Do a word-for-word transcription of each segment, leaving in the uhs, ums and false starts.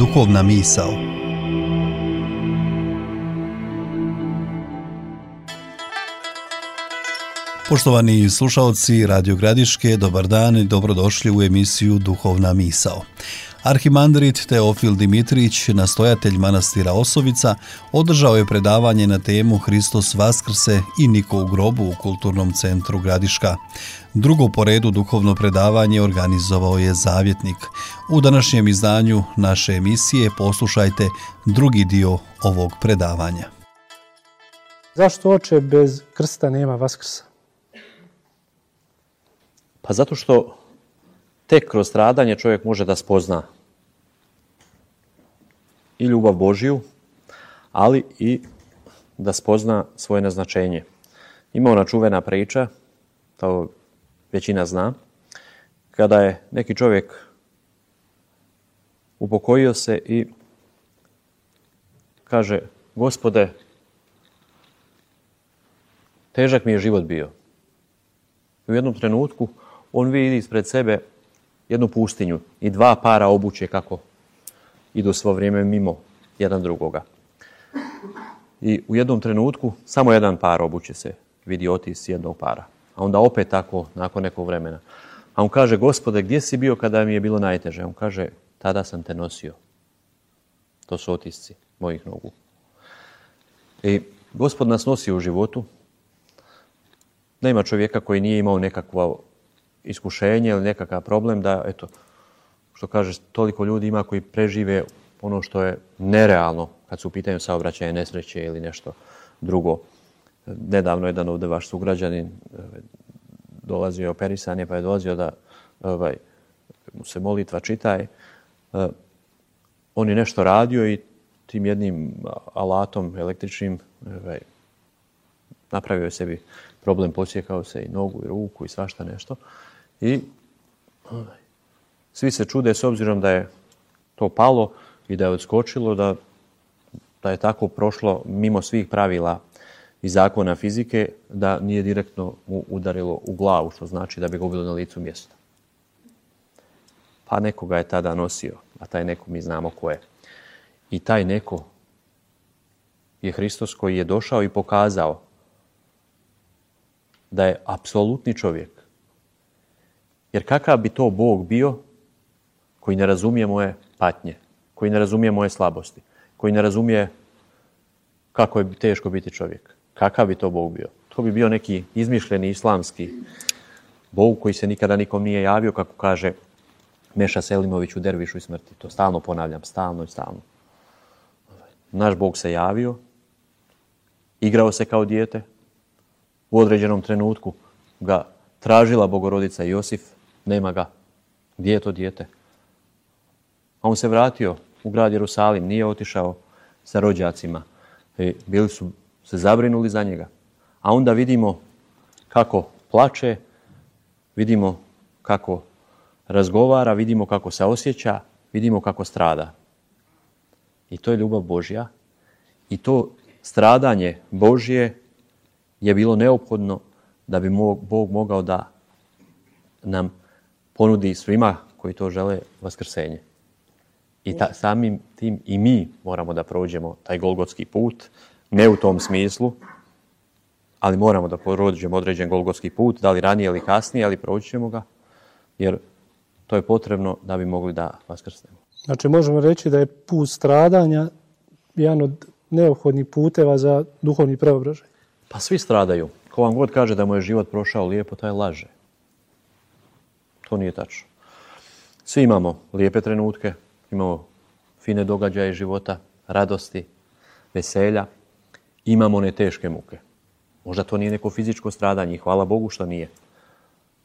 Duhovna misao. Poštovani slušalci Radio Gradiške, dobar dan i dobrodošli u emisiju Duhovna misao. Arhimandrit Teofil Dimitrić, nastojatelj manastira Osovica, održao je predavanje na temu Hristos Vaskrse i niko u grobu u Kulturnom centru Gradiška. Drugo po redu duhovno predavanje organizovao je Zavjetnik. U današnjem izdanju naše emisije poslušajte drugi dio ovog predavanja. Zašto, oče, bez krsta nema Vaskrsa? Pa zato što tek kroz stradanje čovjek može da spozna i ljubav Božju, ali i da spozna svoje naznačenje. Ima ona čuvena priča, to većina zna, kada je neki čovjek upokojio se i kaže: Gospode, težak mi je život bio. U jednom trenutku on vidi ispred sebe jednu pustinju i dva para obuće kako idu svo vrijeme mimo jedan drugoga. I u jednom trenutku samo jedan par obuće se vidi otis jednog para. A onda opet tako, nakon nekog vremena. A on kaže: Gospode, gdje si bio kada mi je bilo najteže? On kaže: tada sam te nosio. To su otisci mojih nogu. I Gospod nas nosi u životu. Nema čovjeka koji nije imao nekakvo iskušenje ili nekakav problem da, eto, što kažeš, toliko ljudi ima koji prežive ono što je nerealno kad su u pitanju saobraćaja, nesreće ili nešto drugo. Nedavno jedan ovdje vaš sugrađanin dolazio je operisan, pa je dolazio da ovaj, mu se molitva čitaje. On je nešto radio i tim jednim alatom električnim ovaj, napravio je sebi problem, posjekao se i nogu i ruku i svašta nešto. I ovaj, svi se čude s obzirom da je to palo i da je odskočilo, da, da je tako prošlo mimo svih pravila i zakona fizike, da nije direktno mu udarilo u glavu, što znači da bi ga ubilo na licu mjesta. Pa neko ga je tada nosio, a taj neko mi znamo ko je. I taj neko je Hristos koji je došao i pokazao da je apsolutni čovjek. Jer kakav bi to Bog bio koji ne razumije moje patnje, koji ne razumije moje slabosti, koji ne razumije kako je teško biti čovjek? Kakav bi to Bog bio? To bi bio neki izmišljeni islamski Bog koji se nikada nikom nije javio, kako kaže Meša Selimović u Dervišu i smrti. To stalno ponavljam, stalno i stalno. Naš Bog se javio, igrao se kao dijete, u određenom trenutku ga tražila Bogorodica Josif, nema ga. Gdje je to dijete? A on se vratio u grad Jerusalim, nije otišao sa rođacima. I bili su se zabrinuli za njega. A onda vidimo kako plače, vidimo kako razgovara, vidimo kako se osjeća, vidimo kako strada. I to je ljubav Božja. I to stradanje Božje je bilo neophodno da bi Bog mogao da nam ponudi svima koji to žele vaskrsenje. I ta, samim tim i mi moramo da prođemo taj golgotski put, ne u tom smislu, ali moramo da prođemo određen golgotski put, da li ranije ili kasnije, ali proći ćemo ga, jer to je potrebno da bi mogli da vaskrsnemo. Znači možemo reći da je put stradanja jedan od neophodnih puteva za duhovni preobražaj. Pa svi stradaju. Ko vam god kaže da mu je život prošao lijepo, taj laže. To nije tačno. Svi imamo lijepe trenutke, imamo fine događaje života, radosti, veselja. Imamo one teške muke. Možda to nije neko fizičko stradanje i hvala Bogu što nije.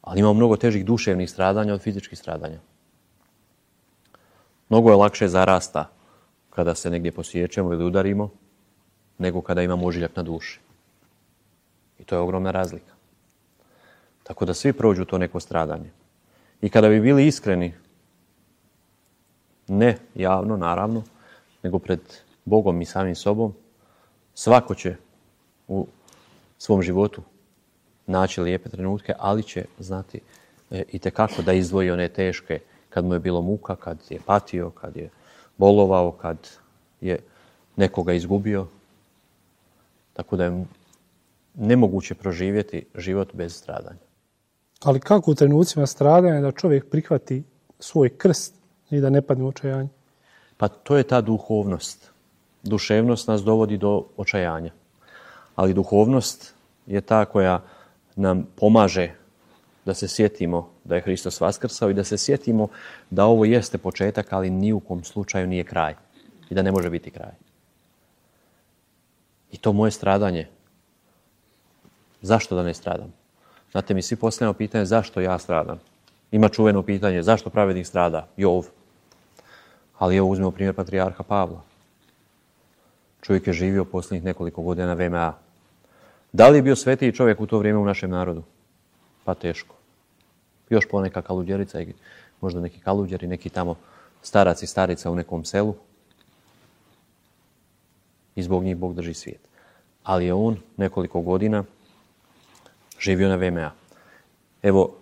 Ali imamo mnogo težih duševnih stradanja od fizičkih stradanja. Mnogo je lakše zarasta kada se negdje posjećemo ili udarimo, nego kada imamo ožiljak na duši. I to je ogromna razlika. Tako da svi prođu to neko stradanje. I kada bi bili iskreni, ne javno, naravno, nego pred Bogom i samim sobom, svako će u svom životu naći lijepe trenutke, ali će znati e, itekako da izdvoji one teške, kad mu je bilo muka, kad je patio, kad je bolovao, kad je nekoga izgubio. Tako da je nemoguće proživjeti život bez stradanja. Ali kako u trenucima stradanja da čovjek prihvati svoj krst i da ne padne u očajanje? Pa to je ta duhovnost. Duševnost nas dovodi do očajanja. Ali duhovnost je ta koja nam pomaže da se sjetimo da je Hristos vaskrsao i da se sjetimo da ovo jeste početak, ali ni u kom slučaju nije kraj. I da ne može biti kraj. I to moje stradanje. Zašto da ne stradam? Znate, mi svi postavljamo pitanje zašto ja stradam. Ima čuveno pitanje zašto pravednik strada? Jov. Ali evo uzmemo primjer patrijarha Pavla. Čovjek je živio posljednjih nekoliko godina na V M A. Da li je bio svetiji čovjek u to vrijeme u našem narodu? Pa teško. Još poneka kaluđerica i možda neki kaluđeri, neki tamo starac i starica u nekom selu. I zbog njih Bog drži svijet. Ali je on nekoliko godina živio na V M A. Evo,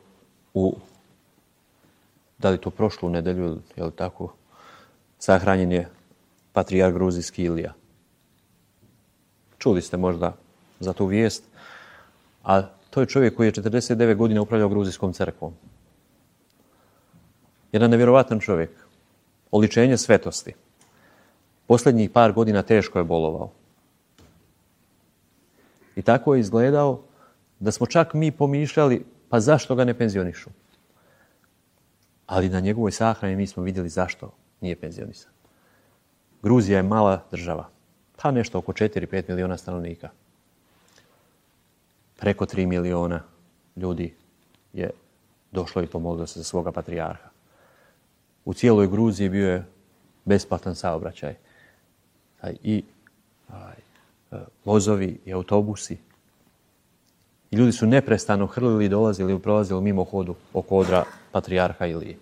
u, da li to prošlu nedelju, je li tako, sahranjen je patrijarh gruzijski Ilija. Čuli ste možda za tu vijest, a to je čovjek koji je četrdeset devet godina upravljao gruzijskom crkvom. Jedan nevjerovatan čovjek, oličenje svetosti. Posljednjih par godina teško je bolovao. I tako je izgledao da smo čak mi pomišljali, pa zašto ga ne penzionišu? Ali na njegovoj sahrani mi smo vidjeli zašto nije penzionisan. Gruzija je mala država, pa nešto oko četiri do pet miliona stanovnika. Preko tri miliona ljudi je došlo i pomoglo se za svoga patrijarha. U cijeloj Gruziji bio je besplatan saobraćaj. I aj, vozovi i autobusi. I ljudi su neprestano hrlili i dolazili i prolazili mimo hodu oko odra patrijarha Ilije,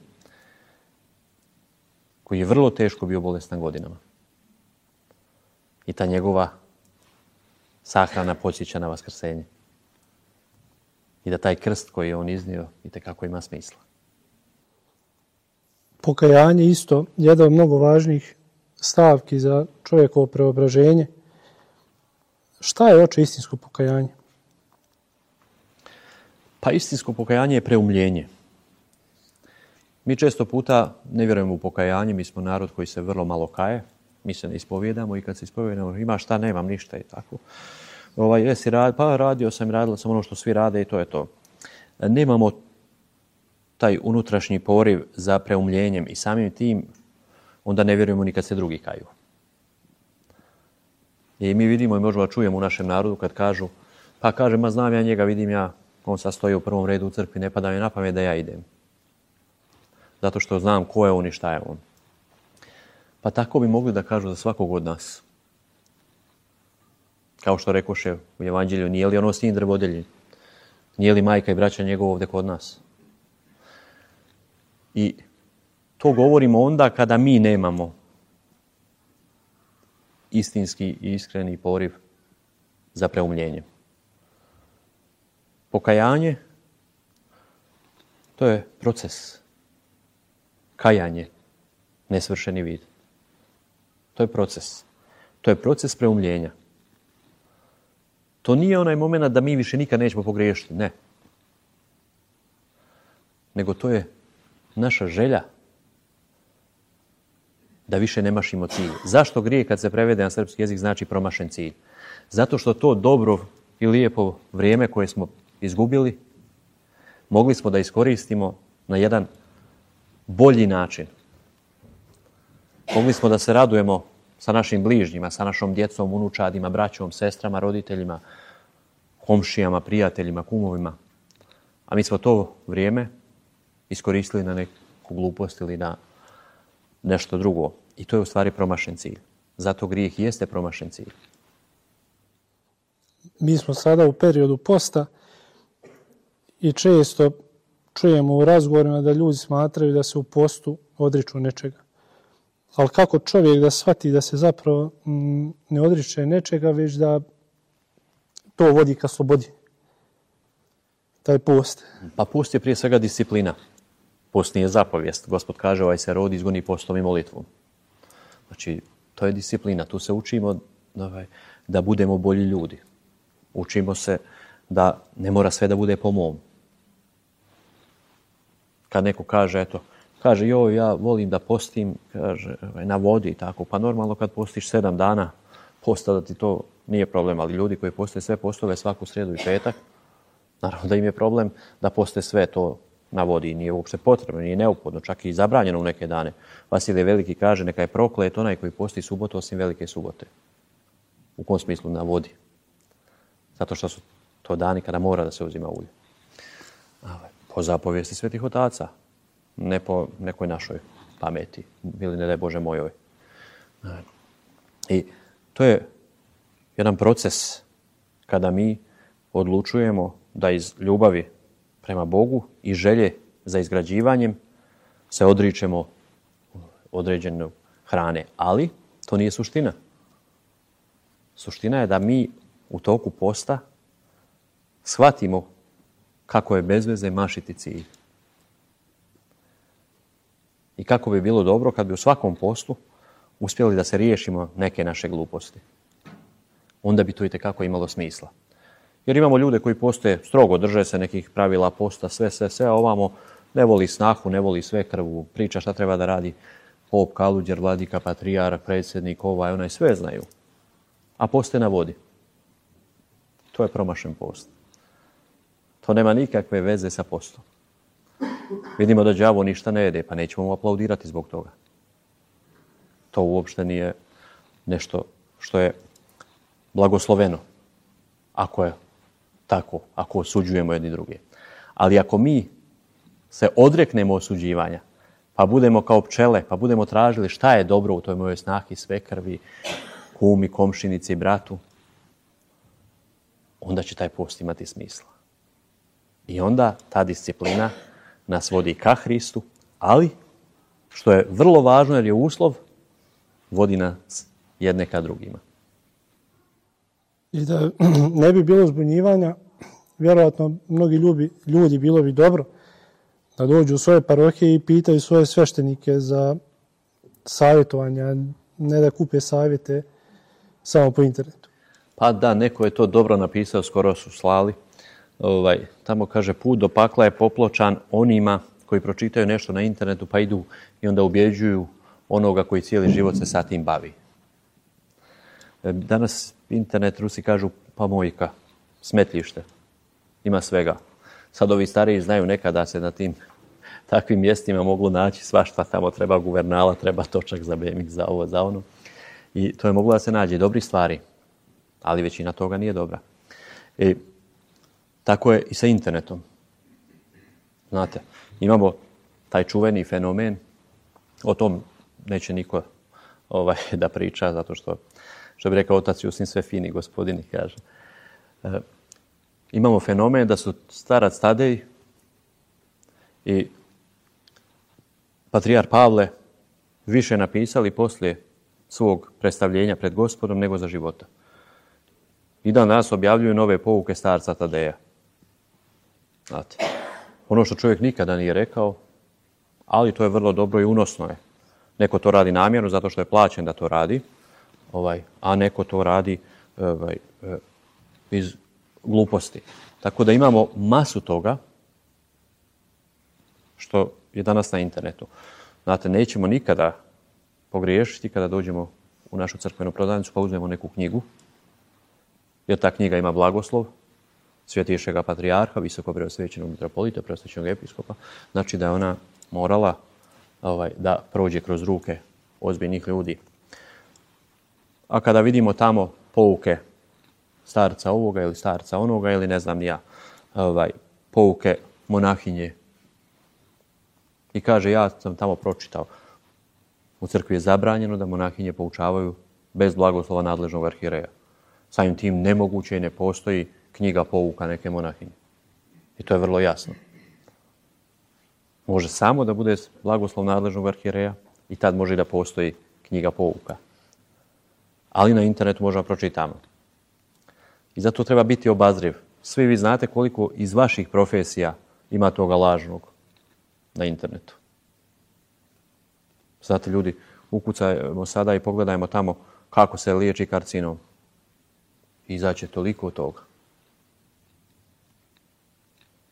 koji je vrlo teško bio bolestan godinama. I ta njegova sahrana podsjeća na vaskrsenje. I da taj krst koji je on iznio itekako ima smisla. Pokajanje isto jedna od mnogo važnih stavki za čovjekovo preobraženje. Šta je, oče, istinsko pokajanje? Pa istinsko pokajanje je preumljenje. Mi često puta ne vjerujemo u pokajanje, mi smo narod koji se vrlo malo kaje, mi se ne ispovjedamo i kad se ispovjedamo ima šta, nemam ništa i tako. Ovaj, jesi rad, pa radio sam, radila sam ono što svi rade i to je to. Nemamo taj unutrašnji poriv za preumljenjem i samim tim onda ne vjerujemo ni kad se drugi kaju. I mi vidimo i možemo da čujemo u našem narodu kad kažu, pa kaže, ma znam ja njega, vidim ja, on sad stoji u prvom redu u crkvi, ne pada mi na pamet da ja idem. Zato što znam ko je on i šta je on. Pa tako bi mogli da kažu za svakog od nas. Kao što rekoše u Evanđelju, nije li ono sin drvodelji? Nije li majka i braća njegov ovdje kod nas? I to govorimo onda kada mi nemamo istinski i iskreni poriv za preumljenje. Pokajanje, to je proces. Kajanje, nesvršeni vid. To je proces. To je proces preumljenja. To nije onaj moment da mi više nikad nećemo pogriješiti, ne. Nego to je naša želja da više ne mašimo cilj. Zašto grijeh kad se prevede na srpski jezik znači promašen cilj? Zato što to dobro i lijepo vrijeme koje smo izgubili mogli smo da iskoristimo na jedan bolji način. Mogli smo da se radujemo sa našim bližnjima, sa našom djecom, unučadima, braćom, sestrama, roditeljima, komšijama, prijateljima, kumovima. A mi smo to vrijeme iskoristili na neku glupost ili na nešto drugo. I to je u stvari promašen cilj. Zato grijeh jeste promašen cilj. Mi smo sada u periodu posta i često čujemo u razgovorima da ljudi smatraju da se u postu odriču nečega. Ali kako čovjek da shvati da se zapravo m, ne odriče nečega, već da to vodi ka slobodi? Taj post. Pa post je prije svega disciplina. Post nije zapovijest. Gospod kaže, ovaj se rod izgoni postom i molitvom. Znači, to je disciplina. Tu se učimo ovaj, da budemo bolji ljudi. Učimo se da ne mora sve da bude po mom. Kad neko kaže, eto, kaže, joj, ja volim da postim, kaže, na vodi i tako. Pa normalno kad postiš sedam dana posta da ti to nije problem, ali ljudi koji poste sve postove svaku srijedu i petak, naravno da im je problem da poste sve to na vodi i nije uopšte potrebno, nije neophodno, čak i zabranjeno u neke dane. Vasilije Veliki kaže, neka je proklet onaj koji posti subotu osim velike subote. U kom smislu? Na vodi. Zato što su to dani kada mora da se uzima ulje. Po zapovijesti svetih otaca, ne po nekoj našoj pameti, ili ne daj Bože mojoj. I to je jedan proces kada mi odlučujemo da iz ljubavi prema Bogu i želje za izgrađivanjem se odričemo određene hrane. Ali to nije suština. Suština je da mi u toku posta shvatimo kako je bez veze mašiti cilj. I kako bi bilo dobro kad bi u svakom postu uspjeli da se riješimo neke naše gluposti. Onda bi to itekako imalo smisla. Jer imamo ljude koji postoje strogo, drže se nekih pravila posta, sve, sve, sve, a ovamo ne voli snahu, ne voli sve krvu, priča šta treba da radi pop, kaluđer, vladika, patrijarh, predsjednik, ovaj, onaj, sve znaju. A poste na vodi. To je promašen post. To nema nikakve veze sa postom. Vidimo da đavo ništa ne jede, pa nećemo mu aplaudirati zbog toga. To uopšte nije nešto što je blagosloveno. Ako je tako, ako osuđujemo jedni druge. Ali ako mi se odreknemo osuđivanja, pa budemo kao pčele, pa budemo tražili šta je dobro u toj mojoj snahi, svekrvi, kumi, komšinici, bratu, onda će taj post imati smisla. I onda ta disciplina nas vodi ka Hristu, ali, što je vrlo važno jer je uslov, vodi nas jedne ka drugima. I da ne bi bilo zbunjivanja, vjerojatno mnogi ljudi, ljudi bilo bi dobro da dođu u svoje parohije i pitaju svoje sveštenike za savjetovanja, ne da kupe savjete samo po internetu. Pa da, neko je to dobro napisao, skoro su slali. Ovaj, tamo kaže, put do pakla je popločan onima koji pročitaju nešto na internetu pa idu i onda ubjeđuju onoga koji cijeli život se sa tim bavi. Danas internet, Rusi kažu, pa mojka, smetljište, ima svega. Sad ovi stariji znaju nekada se na tim takvim mjestima moglo naći svašta, tamo treba guvernala, treba točak za B M X, za ovo, za ono. I to je moglo da se nađe dobri stvari, ali većina toga nije dobra. I tako je i sa internetom. Znate, imamo taj čuveni fenomen, o tom neće niko ovaj, da priča, zato što, što bi rekao otac Jusin, sve fini gospodini, kaže. E, imamo fenomen da su starac Tadej i patrijar Pavle više napisali poslije svog predstavljenja pred Gospodom nego za života. I dan danas objavljuju nove pouke starca Tadeja. Znate, ono što čovjek nikada nije rekao, ali to je vrlo dobro i unosno je. Neko to radi namjerno zato što je plaćen da to radi, ovaj, a neko to radi ovaj, iz gluposti. Tako da imamo masu toga što je danas na internetu. Znate, nećemo nikada pogriješiti kada dođemo u našu crkvenu prodavnicu pa uzmemo neku knjigu, jer ta knjiga ima blagoslov Svjetejšega patrijarha, visoko preosvećenog mitropolita, preosvećenog episkopa, znači da je ona morala ovaj, da prođe kroz ruke ozbiljnih ljudi. A kada vidimo tamo pouke starca ovoga ili starca onoga ili ne znam ni ja, ovaj, pouke monahinje, i kaže, ja sam tamo pročitao, u crkvi je zabranjeno da monahinje poučavaju bez blagoslova nadležnog arhijereja. Samim tim nemoguće i ne postoji knjiga pouka neke monahinje. I to je vrlo jasno. Može samo da bude blagoslov nadležnog arhijereja i tad može i da postoji knjiga pouka. Ali na internetu možemo pročitamo. I zato treba biti obazriv. Svi vi znate koliko iz vaših profesija ima toga lažnog na internetu. Znate, ljudi ukucajmo sada i pogledajmo tamo kako se liječi karcinom. I izaće toliko toga.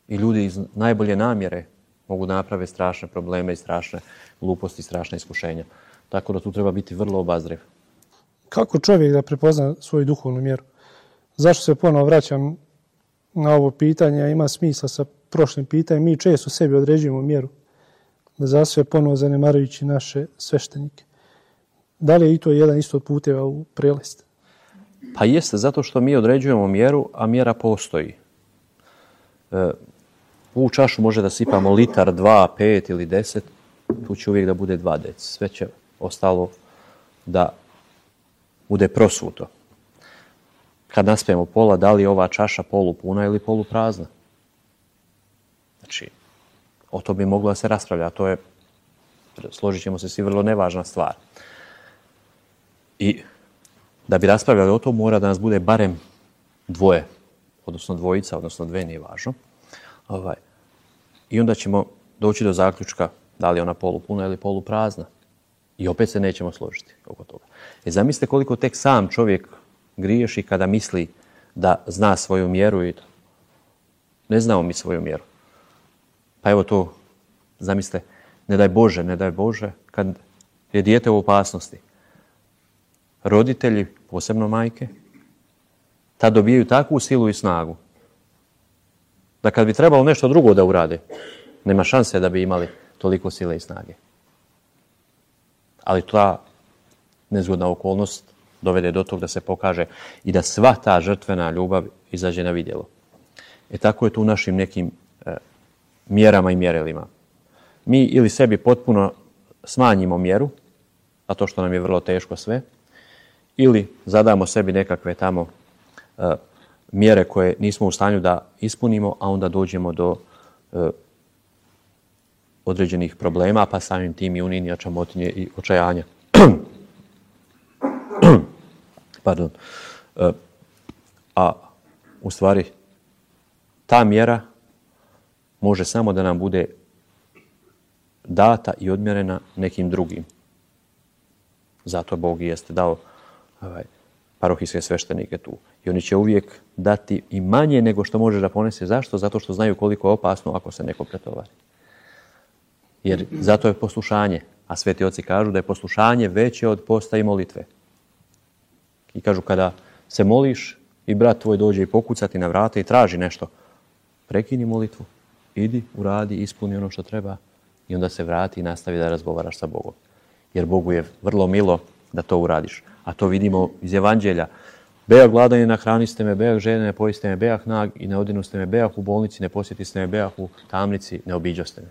I ljudi iz najbolje namjere mogu napraviti strašne probleme i strašne gluposti, strašne iskušenja. Tako da tu treba biti vrlo obazriv. Kako čovjek da prepozna svoju duhovnu mjeru? Zašto se ponovo vraćam na ovo pitanje? Ima smisla sa prošlim pitanjem. Mi često sebi određujemo mjeru. Da za sve ponovo zanemarujući naše sveštenike. Da li je i to jedan isto od puteva u prelest? Pa jeste, zato što mi određujemo mjeru, a mjera postoji. E, u čašu može da sipamo litar, dva, pet ili deset. Tu će uvijek da bude dva deci. Sve će ostalo da bude prosuto. Kad naspijemo pola, da li je ova čaša polupuna ili poluprazna? Znači, o to bi moglo da se raspravlja. To je, složit ćemo se svi, vrlo nevažna stvar. I da bi raspravljali o to, mora da nas bude barem dvoje, odnosno dvojica, odnosno dve, nije važno. Ovaj. I onda ćemo doći do zaključka da li je ona polupuna ili poluprazna. I opet se nećemo složiti oko toga. E, zamislite koliko tek sam čovjek griješi kada misli da zna svoju mjeru i to. Ne znamo mi svoju mjeru. Pa evo to, zamislite, ne daj Bože, ne daj Bože, kad je dijete u opasnosti. Roditelji, posebno majke, tad dobijaju takvu silu i snagu da kad bi trebalo nešto drugo da urade, nema šanse da bi imali toliko sile i snage. Ali ta nezgodna okolnost dovede do tog da se pokaže i da sva ta žrtvena ljubav izađe na vidjelo. E tako je tu u našim nekim e, mjerama i mjerilima. Mi ili sebi potpuno smanjimo mjeru, a to što nam je vrlo teško sve, ili zadamo sebi nekakve tamo e, mjere koje nismo u stanju da ispunimo, a onda dođemo do e, određenih problema, pa samim tim i unije, čamotinje i očajanja. Pardon. E, a u stvari ta mjera može samo da nam bude data i odmjerena nekim drugim. Zato Bog jeste dao ovaj, parohijske sveštenike tu. I oni će uvijek dati i manje nego što može da ponese. Zašto? Zato što znaju koliko je opasno ako se neko pretovari. Jer zato je poslušanje. A sveti oci kažu da je poslušanje veće od posta i molitve. I kažu kada se moliš i brat tvoj dođe i pokucati na vrata i traži nešto, prekini molitvu, idi, uradi, ispuni ono što treba i onda se vrati i nastavi da razgovaraš sa Bogom. Jer Bogu je vrlo milo da to uradiš. A to vidimo iz Evanđelja. Bejah gladan i nahraniste me, bejah žene, ne pojiste me, bejah nag i ne odinoste me, bejah u bolnici, ne posjetiste me, bejah u tamnici, ne obiđoste me.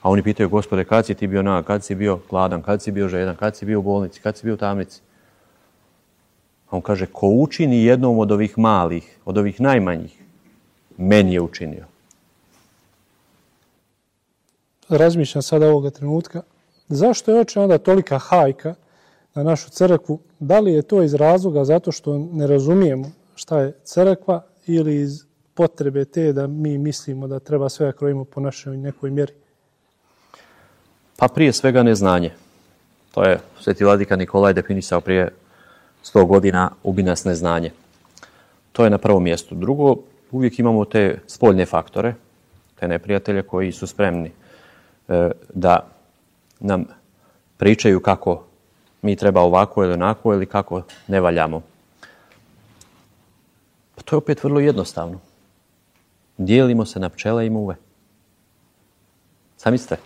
A oni pitaju, Gospode, kad si ti bio nag, kad si bio gladan, kad si bio žedan, kad si bio u bolnici, kad si bio u tamnici? A on kaže, ko učini jednom od ovih malih, od ovih najmanjih, meni je učinio. Razmišljam sada ovoga trenutka, zašto je oče onda tolika hajka na našu crkvu? Da li je to iz razloga zato što ne razumijemo šta je crkva ili iz potrebe te da mi mislimo da treba sve da krojimo po našoj nekoj mjeri? Pa prije svega neznanje. To je sveti vladika Nikolaj definisao prije sto godina, ubi nas neznanje. To je na prvom mjestu. Drugo, uvijek imamo te spoljne faktore, te neprijatelje koji su spremni e, da nam pričaju kako mi treba ovako ili onako ili kako ne valjamo. Pa to je opet vrlo jednostavno. Dijelimo se na pčele i muve. Zamislite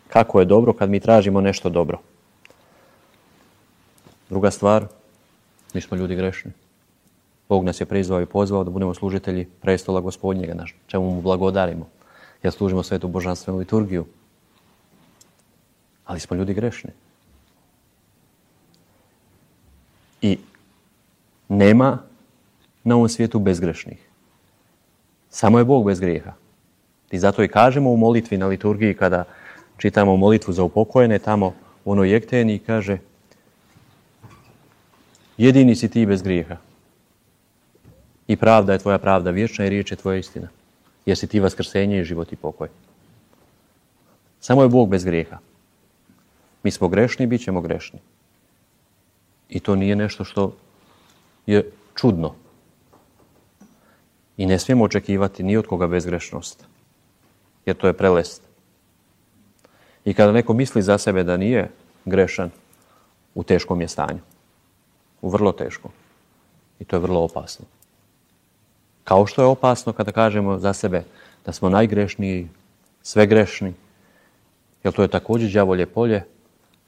kako je dobro kad mi tražimo nešto dobro. Druga stvar, mi smo ljudi grešni. Bog nas je prizvao i pozvao da budemo služitelji prestola Gospodnjega, na čemu mu blagodarimo. Jer služimo svetu božanstvenu liturgiju. Ali smo ljudi grešni. I nema na ovom svijetu bezgrešnih. Samo je Bog bez grijeha. I zato i kažemo u molitvi na liturgiji kada čitamo molitvu za upokojene, tamo u onoj jekteni kaže jedini si ti bez grijeha. I pravda je tvoja pravda vječna i riječ je tvoja istina. Jer si ti vaskrsenje i život i pokoj. Samo je Bog bez grijeha. Mi smo grešni i bit ćemo grešni. I to nije nešto što je čudno. I ne smijemo očekivati ni od koga bezgrešnost. Jer to je prelest. I kada neko misli za sebe da nije grešan, u teškom je stanju. U vrlo teškom. I to je vrlo opasno. Kao što je opasno kada kažemo za sebe da smo najgrešniji, sve grešni, jer to je također đavolje polje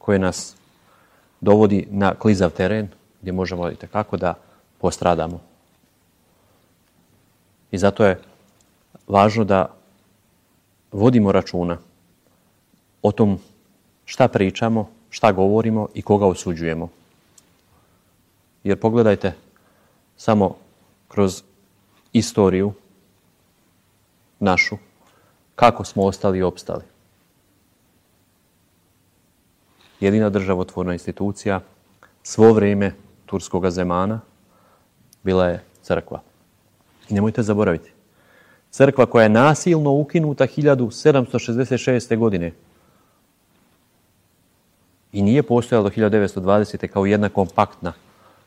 koje nas dovodi na klizav teren gdje možemo itekako da postradamo. I zato je važno da vodimo računa o tom šta pričamo, šta govorimo i koga osuđujemo. Jer pogledajte samo kroz istoriju našu, kako smo ostali i opstali. Jedina državotvorna institucija svo vrijeme turskoga zemana bila je crkva. I nemojte zaboraviti, crkva koja je nasilno ukinuta hiljadu sedamsto šezdeset šeste. godine i nije postojala do hiljadu devetsto dvadesete. kao jedna kompaktna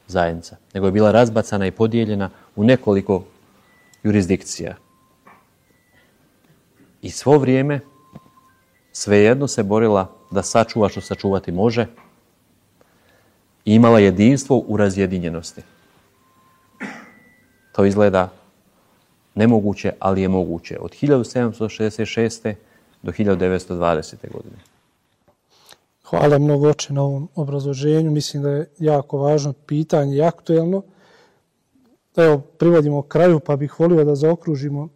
zajednica, nego je bila razbacana i podijeljena u nekoliko jurisdikcija. I svo vrijeme svejedno se borila da sačuva što sačuvati može i imala jedinstvo u razjedinjenosti. To izgleda nemoguće, ali je moguće. Od hiljadu sedamsto šezdeset šeste. do hiljadu devetsto dvadesete. godine. Hvala mnogo oče na ovom obrazloženju. Mislim da je jako važno pitanje i aktuelno. Evo, privodimo kraju, pa bih volio da zaokružimo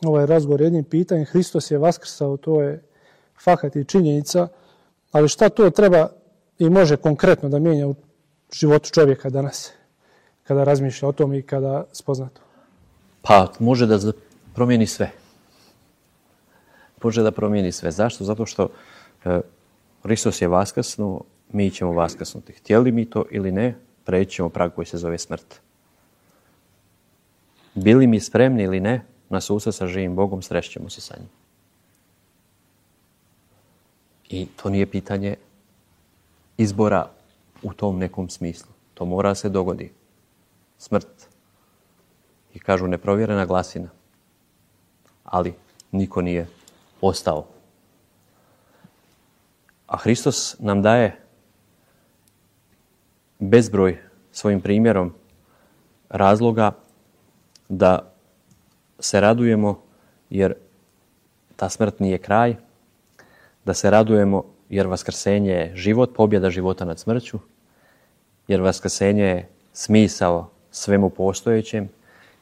ovaj razgovor jednim pitanjem. Hristos je vaskrsao, to je fakat i činjenica, ali šta to treba i može konkretno da mijenja u životu čovjeka danas, kada razmišlja o tom i kada spozna to? Pa može da promijeni sve. Može da promijeni sve. Zašto? Zato što e, Hristos je vaskrsnuo, mi ćemo vaskrsnuti. Htjeli mi to ili ne, preći ćemo prag koji se zove smrt. Bili mi spremni ili ne, na susret sa živim Bogom, srećemo se sa njim. I to nije pitanje izbora u tom nekom smislu. To mora se dogodi. Smrt. I kažu neprovjerena glasina. Ali niko nije ostao. A Hristos nam daje bezbroj svojim primjerom razloga da se radujemo jer ta smrt nije kraj, da se radujemo jer vaskrsenje je život, pobjeda života nad smrću, jer vaskrsenje je smisao svemu postojećem.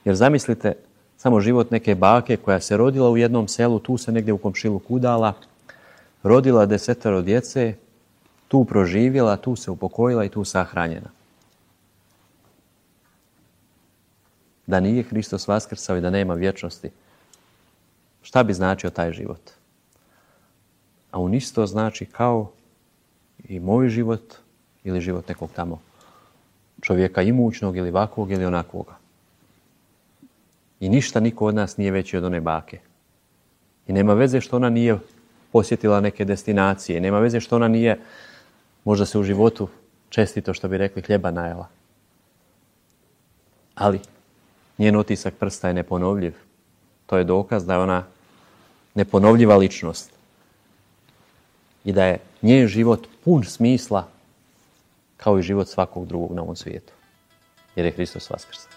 Jer zamislite samo život neke bake koja se rodila u jednom selu, tu se negdje u komšiluku udala, rodila desetero djece, tu proživjela, tu se upokojila i tu sahranjena. Da nije Hristos vaskrsao i da nema vječnosti, šta bi značio taj život? A on isto znači kao i moj život ili život nekog tamo čovjeka imućnog ili ovakvog ili onakvoga. I ništa niko od nas nije veći od one bake. I nema veze što ona nije posjetila neke destinacije. Nema veze što ona nije, možda se u životu čestito, što bi rekli, hljeba najela. Ali njen otisak prsta je neponovljiv. To je dokaz da je ona neponovljiva ličnost. I da je njen život pun smisla kao i život svakog drugog na ovom svijetu. Jer je Hristos vaskrsao.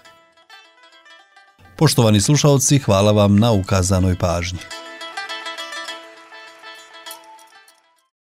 Poštovani slušalci, hvala vam na ukazanoj pažnji.